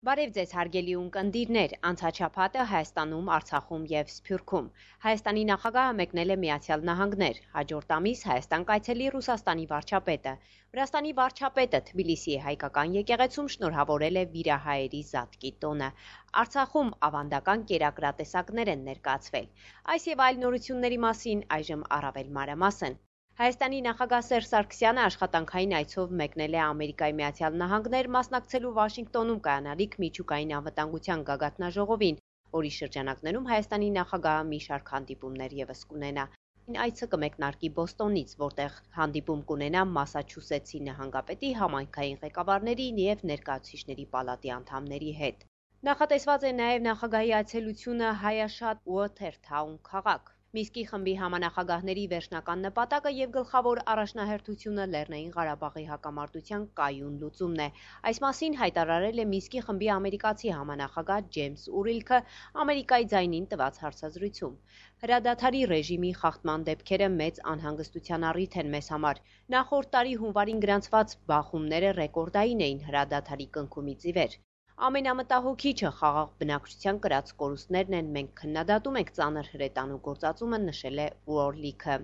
Բարև ձեզ հարգելի ունկնդիրներ, անցաչափատը Հայաստանում, Արցախում և Սփյուռքում։ Հայաստանի նախագահը մեկնել է Միացյալ Նահանգներ, հաջորդ ամիս Հայաստան կայցելի Ռուսաստանի վարչապետը։ Վրաստանի վարչապետը Թբիլիսիի հայկական եկեղեցում շնորհավորել է վիրահայերի Զատկի տոնը։ Արցախում ավանդական կերակրատեսակներ են ներկայացվել։ Այս և այլ նորությունների մասին այժմ առավել մանրամասն։ Հայաստանի նախագահ Սերժ Սարգսյանը աշխատանքային այցով մեկնել է Ամերիկայի Միացյալ Նահանգներ մասնակցելու Վաշինգտոնում կայանալիք միջուկային անվտանգության գագաթնաժողովին, որի շրջանակներում Հայաստանի նախագահը մի շարք հանդիպումներ ևս կունենա։ Այցը կմեկնարկի Բոստոնից, որտեղ հանդիպում կունենա Մասաչուսեթսի նահանգապետի, համայնքային ղեկավարների և ներկայացուցիչների պալատի անդամների հետ։ Նախատեսված է նաև նախագահի այցելությունը Հայաշատ Ուոթերթաուն քաղաք։ Միսկի խմբի համանախագահների վերջնական նպատակը և գլխավոր առաջնահերթությունը Լեռնային Ղարաբաղի հակամարտության կայուն լուծումն է։ Այս մասին հայտարարել է Միսկի խմբի ամերիկացի համանախագահ Ջեյմս Ուրիլքը Ամերիկայի ձայնին տված հարցազրույցում։ Հրադադարի ռեժիմի խախտման դեպքերը մեծ անհանգստության առիթ են մեզ համար։ Նախորդ տարի հունվարին գրանցված բախումները ռեկորդային էին հրադադարի կնքումից ի վեր։ Ամենամտահոգիչը խաղաղ բնակչության կրած կորուստներն են, մենք քննադատում ենք ծանր հրետանու գործածումը, նշել է Ուորլիքը։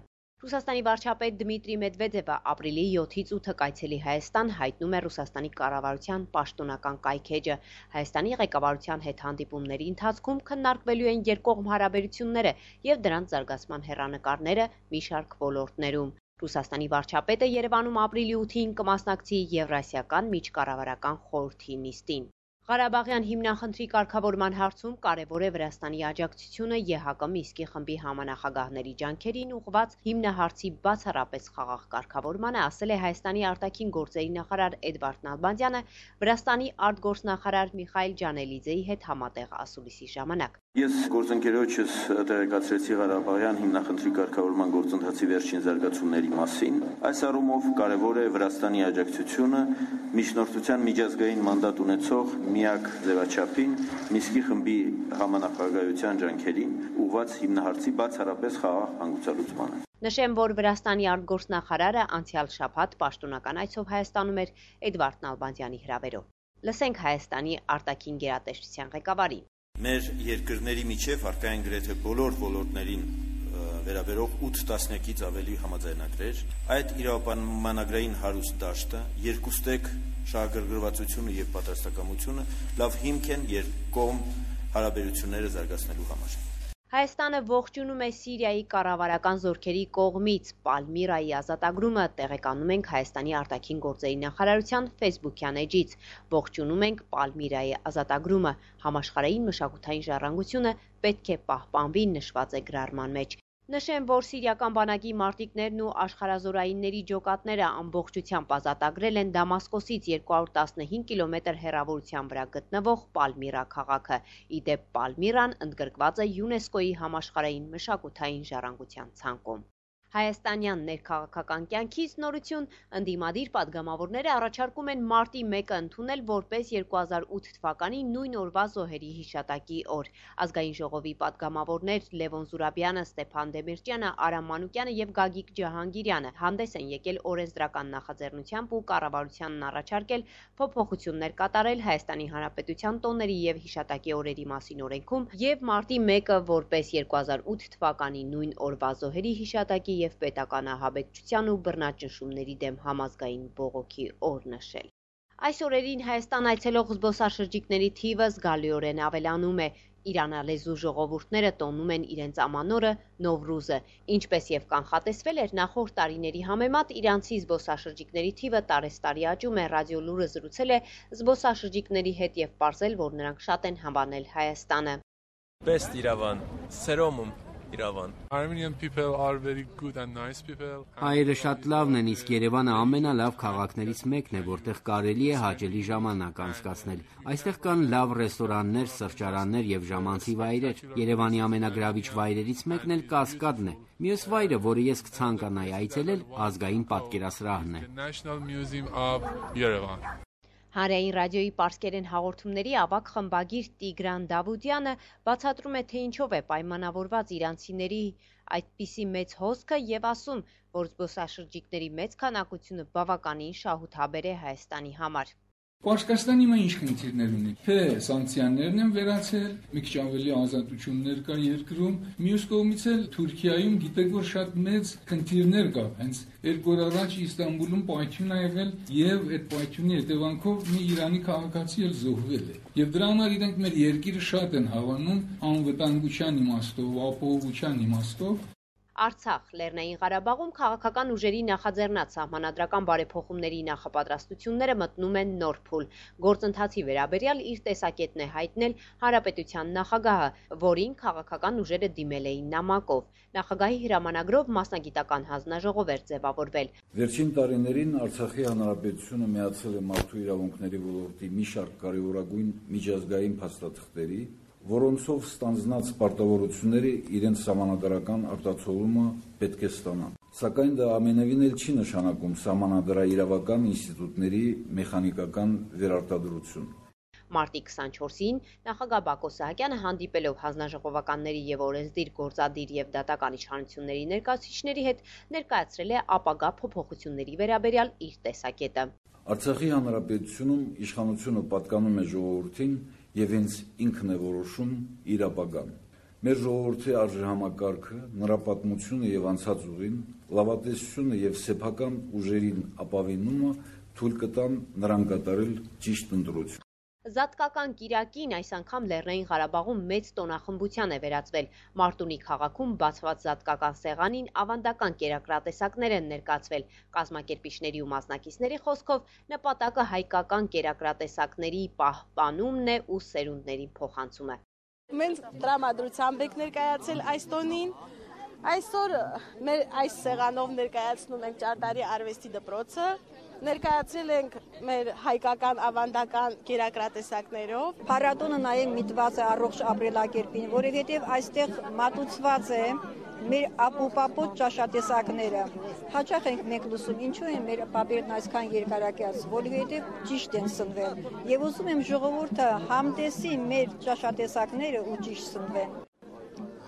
Ռուսաստանի վարչապետ Դմիտրի Մեդվեդևը ապրիլի 7-ից 8-ը կայցելի Հայաստան, հայտնում է Ռուսաստանի կառավարության պաշտոնական կայքէջը։ Հայաստանի ղեկավարության հետ հանդիպումների ընթացքում քննարկվելու են երկկողմ հարաբերությունները և դրանց զարգացման հեռանկարները մի շարք ոլորտներում։ Ռուսաստանի վարչապետը Երևանում ապրիլի 8-ին կմասնակցի Եվրասիական միջկառավարական խորհրդի նիստին։ Ղարաբաղյան հիմնախնդրի կարգավորման հարցում կարևոր է Վրաստանի աջակցությունը ԵՀԿ Միսկի խմբի համանախագահների ջանքերին ուղղված հիմնահարցի բացառապես խաղաղ կարգավորմանը, ասել է Հայաստանի արտաքին գործերի նախարար Էդվարդ Նալբանդյանը Վրաստանի արտգործնախարար Միխայիլ Ջանելիձեի հետ համատեղ ասուլիսի ժամանակ։ Ես գործընկերոջս տեղեկացրեցի Ղարաբաղյան հիմնախնդրի կարգավորման գործընթացի վերջին զարգացումների մասին։ Այս առումով կարևոր է Վրաստանի աջակցությունը միջնորդության միջազգային մանդատ ունեցող միակ ձևաչափին Միսկի խմբի համանախագահության ջանքերին ուղղված հիմնահարցի բացառապես խաղաղ հանգուցալուծմանը։ Նշեմ, որ Վրաստանի արտգործնախարարը անցյալ շաբաթ պաշտոնական այցով Հայաստանում էր Էդվարդ Նալբանդյանի հրավերով։ Լսենք Հայաստանի արտաքին գերատեսչության ղեկավարի։ Մեր երկրների միջև առկա են գրեթե բոլոր ոլորտներին վերաբերող 8 տասնյակից ավելի համաձայնագրեր։ Այդ իրավապայմանագրային հարուստ դաշտը, երկուստեք շահագրգռվածությունը և պատրաստակամությունը լավ հիմք են երկկողմ հարաբերությունները զարգացնելու համար։ Հայաստանը ողջունում է Սիրիայի կառավարական զորքերի կողմից Պալմիրայի ազատագրումը, տեղեկանում ենք Հայաստանի արտաքին գործերի նախարարության ֆեյսբուքյան էջից։ Ողջունում ենք Պալմիրայի ազատագրումը, համաշխարհային մշակութային ժառանգությունը պետք է պահպանվի, նշված է գրառման մեջ։ Նշեմ, որ սիրիական բանակի մարտիկներն ու աշխարհազորայինների ջոկատները ամբողջությամբ ազատագրել են Դամասկոսից 215 կիլոմետր հեռավորության վրա գտնվող Պալմիրա քաղաքը։ Ի դեպ, Պալմիրան ընդգրկված է ՅՈՒՆԵՍԿՕ-ի համաշխարհային մշակութային ժառանգության ցանկում։ Հայաստանյան ներքաղաքական կյանքից նորություն, ընդդիմադիր падգամավորները առաջարկում են մարտի 1-ը ընդունել որպես 2008 թվականի նույն օրվա զոհերի հիշատակի օր։ Ազգային ժողովի падգամավորներ Լևոն Զուրաբյանը, Ստեփան Դեմիրճյանը, Արամ Մանուկյանը և Գագիկ Ջահանգիրյանը հանդես են եկել օրենսդրական նախաձեռնությամբ ու կառավարությանն առաջարկել փոփոխություններ կատարել Հայաստանի Հանրապետության տոների և հիշատակի օրերի մասին օրենքում և մարտի 1-ը որպես 2008 թվականի նույն օրվա զոհերի հիշատակի և պետական ահաբեկչության ու բռնաճնշումների դեմ համազգային բողոքի օր նշել։ Այս օրերին Հայաստան այցելող զբոսաշրջիկների թիվը զգալիորեն ավելանում է։ Իրանալեզու ժողովուրդները տոնում են իրենց ամանորը Նովրուզը։ Ինչպես և կանխատեսվել էր նախորդ տարիների համեմատ, իրանցի զբոսաշրջիկների թիվը տարեցտարի աճում է։ Ռադիո Լուրը զրուցել է զբոսաշրջիկների հետ և պարզել, որ նրանք շատ են հավանել Հայաստանը։ Best Iravan, Seromum Iravan. Armenian people are very good and nice people. Հայերը շատ լավն են, իսկ Երևանը ամենալավ քաղաքներից մեկն է, որտեղ կարելի է հաճելի ժամանակ անցկացնել։ Այստեղ կան լավ ռեստորաններ, սրճարաններ եւ ժամանցի վայրեր։ Երևանի ամենագրավիչ վայրերից մեկն էլ Կասկադն է։ Մյուս վայրը, որը ես կցանկանայի այցելել, ազգային պատկերասրահն է։ National Museum of Yerevan. Հանրային ռադիոյի պարսկերեն հաղորդումների ավագ խմբագիր Տիգրան Դավուդյանը բացատրում է, թե ինչով է պայմանավորված իրանցիների այդպիսի մեծ հոսքը և ասում, որ զբոսաշրջիկների մեծ քանակությունը բավականին շահութաբեր է Հայաստանի համար։ Պարսկաստանի մա ինչ խնդիրներ ունի, թե սանկցիաներն են վերացել, մի քիչ ավելի ազատություններ կա երկրում, մյուս կողմից էլ Թուրքիայում գիտեք որ շատ մեծ խնդիրներ կա, հենց 2 օր առաջ Իստանբուլում պայթյուն ա եղել եւ այդ պայթյունի հետևանքով մի Իրանի քաղաքացի էլ զոհվել է։ Եվ դրա համար իրենք մեր երկիրը շատ են հավանում անվտանգության իմաստով, ապահովության իմաստով։ Արցախ, Լեռնային Ղարաբաղում քաղաքական ուժերի նախաձեռնած սահմանադրական բարեփոխումների նախապատրաստությունները մտնում են նոր փուլ։ Գործընթացի վերաբերյալ իր տեսակետն է հայտնել Հանրապետության նախագահը, որին քաղաքական ուժերը դիմել էին նամակով։ Նախագահի հրամանագրով մասնագիտական հանձնաժողով էր ձևավորվել։ Վերջին տարիներին Արցախի Հանրապետությունը միացել է մարդու իրավունքների ոլորտի մի շարք կարևորագույն միջազգային փաստաթղթերի, որոնցով ստանձնած պարտավորությունները իրենց սահմանադրական արտացոլումը պետք է ստանան։ Սակայն դա ամենևին էլ չի նշանակում սահմանադրաիրավական ինստիտուտների մեխանիկական վերարտադրություն։ Մարտի 24-ին նախագահ Բակո Սահակյանը հանդիպելով հանձնաժողովականների եւ օրենսդիր, գործադիր եւ դատական իշխանությունների ներկայացուցիչների հետ ներկայացրել է ապագա փոփոխությունների վերաբերյալ իր տեսակետը։ Արցախի Հանրապետությունում իշխանությունը պատկանում է ժողովրդին եւ հենց ինքն է որոշում իր ապագան։ Մեր ժողովրդի արժեհամակարգը, նրա պատմությունը եւ անցած ուղին, լավատեսությունը եւ սեփական ուժերին ապավինումը թույլ կտան նրան կատարել ճիշտ ընտրություն։ Զատկական կիրակին այս անգամ Լեռնային Ղարաբաղում մեծ տոնախմբության է վերածվել։ Մարտունի քաղաքում բացված զատկական սեղանին ավանդական կերակրատեսակներ են ներկայացվել։ Կազմակերպիչների ու մասնակիցների խոսքով նպատակը հայկական կերակրատեսակների պահպանումն է ու սերունդներին փոխանցումը։ Մենք տրամադրությամբ ենք ներկայացել այս տոնին։ Այսօր մեր այս սեղանով ներկայացնում ենք Ճարտարի արվեստի դպրոցը, ներկայացրել ենք մեր հայկական ավանդական կերակրատեսակներով։ Փառատոնը նաև միտված է առողջ ապրելակերպին, որովհետև այստեղ մատուցված է մեր ապուպապոտ ճաշատեսակները։ Հաճախ ենք մենք լսում, ինչու են մեր պապերն այսքան երկարակյաց, որովհետև ճիշտ են սնվել։ Եվ ուզում եմ ժողովուրդը համտեսի մեր ճաշատեսակները ու ճիշտ սնվեն։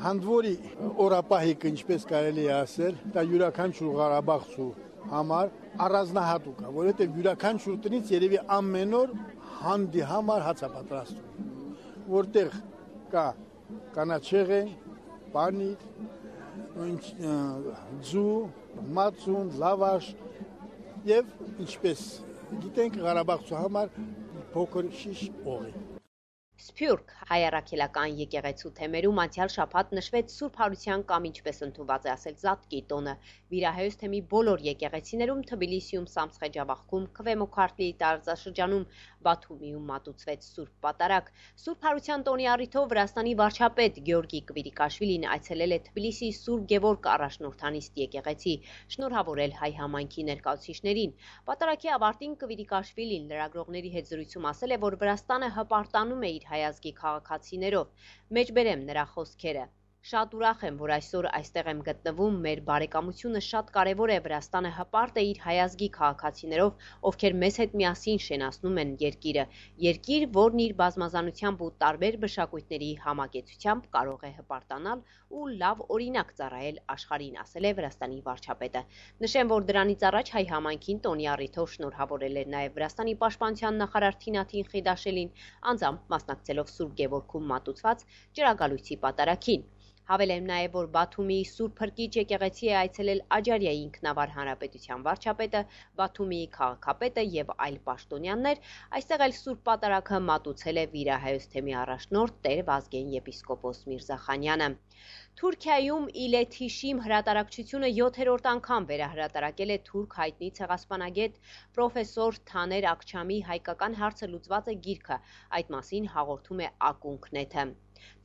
Հանդվորի օրապահիկը, ինչպես կարելի է ասել, դա յուրաքանչյուր ղարաբաղցու համար առանձնահատուկ է, որովհետև յուրաքանչյուր տնից երևի ամեն օր հանդի համար հաց է պատրաստում, որտեղ կա կանաչեղեն, պանիր, ձու, մածուն, լավաշ եւ ինչպես գիտենք Ղարաբաղցու համար փոքր շիշ օղի։ Սփյուռք հայ-առաքելական եկեղեցու թեմերում անցյալ շաբաթ նշվեց Սուրբ Հարության կամ ինչպես ընդունված է ասել Զատկի տոնը։ Վիրահայոց թեմի բոլոր եկեղեցիներում Թբիլիսիում, Սամսխեջավախքում, Քվեմոքարտլի տարածաշրջանում, Բաթումիում մատուցվեց Սուրբ Պատարագ։ Սուրբ Հարության տոնի առիթով Վրաստանի վարչապետ Գյորգի Կվիրիկաշվիլին այցելել է Թբիլիսի Սուրբ Գևորգ առաջնորդանիստ եկեղեցի, շնորհավորել հայ համայնքի ներկայացուցիչներին։ Պատարագի ավարտին Կվիրիկաշվիլին լրագրողների հետ զրույցում ասել է, որ Վրաստանը հպարտանում է իր հայազգի քաղաքացիներով։ Մեջբերեմ նրա խոսքերը։ Շատ ուրախ եմ, որ այսօր այստեղ եմ գտնվում, մեր բարեկամությունը շատ կարևոր է, Վրաստանը հպարտ է իր հայազգի քաղաքացիներով, ովքեր մեզ հետ միասին շենացնում են երկիրը։ Երկիր, որն իր բազմազանությամբ ու տարբեր մշակույթների համակեցությամբ կարող է հպարտանալ ու լավ օրինակ ծառայել աշխարհին, ասել է Վրաստանի վարչապետը։ Նշեմ, որ դրանից առաջ հայ համայնքին տոնի առիթով շնորհավորել էր նաև Վրաստանի պաշտպանության նախարար Թինաթին Խիդաշելին, անձամբ մասնակցելով Սուրբ Գևորգում մատուցված ջրագալույցի պատարագին։ Հավելեմ նաև, որ Բաթումիի Սուրբ Փրկիչ եկեղեցի է այցելել Աջարիայի ինքնավար հանրապետության վարչապետը, Բաթումիի քաղաքապետը եւ այլ պաշտոնյաներ, այստեղ էլ Սուրբ Պատարագը մատուցել է վիրահայոց թեմի առաջնորդ Տեր Վազգեն եպիսկոպոս Միրզախանյանը։ Թուրքիայում Իլեթիշիմ հրատարակչությունը 7-րդ անգամ վերահրատարակել է թուրք հայտնի ցեղասպանագետ պրոֆեսոր Թաներ Աքչամի հայկական հարցը լուծված է գիրքը, այդ մասին հաղորդում է Ակունքնեթը։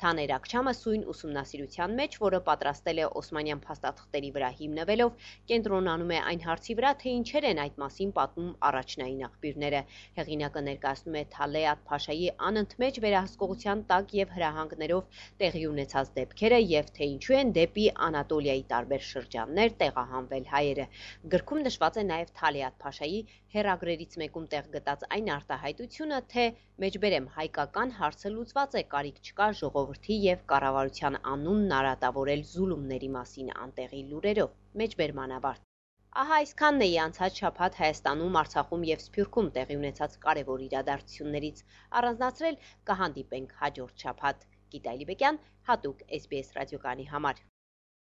Թաներ Աքչամը սույն ուսումնասիրության մեջ, որը պատրաստել է օսմանյան փաստաթղթերի վրա հիմնվելով, կենտրոնանում է այն հարցի վրա, թե ինչեր են այդ մասին պատմում առաջնային աղբյուրները։ Հեղինակը ներկայացնում է Թալեատ Փաշայի անընդմեջ վերահսկողության տակ եւ հրահանգներով տեղի ունեցած դեպքերը եւ թե ինչու են դեպի Անատոլիայի տարբեր շրջաններ տեղահանվել հայերը։ Գրքում նշված է նաեւ Թալեատ Փաշայի հերագրերից մեկում տեղ գտած այն արտահայտությունը, թե մեջբերեմ հայկական հարցը լուծված է, կարիք չկա ժողովրդի եւ կառավարության անունն արատավորել զուլումների մասին անտեղի լուրերով։ Մեջբերմանավարտ։ Ահա այսքանն էի անցած շաբաթ Հայաստանում, Արցախում եւ Սփյուռքում տեղի ունեցած կարևոր իրադարձություններից առանձնացրել կհանդիպենք հաջորդ շաբաթ։ Գիտա Ալիբեկյան, հատուկ SBS ռադիոկայանի համար։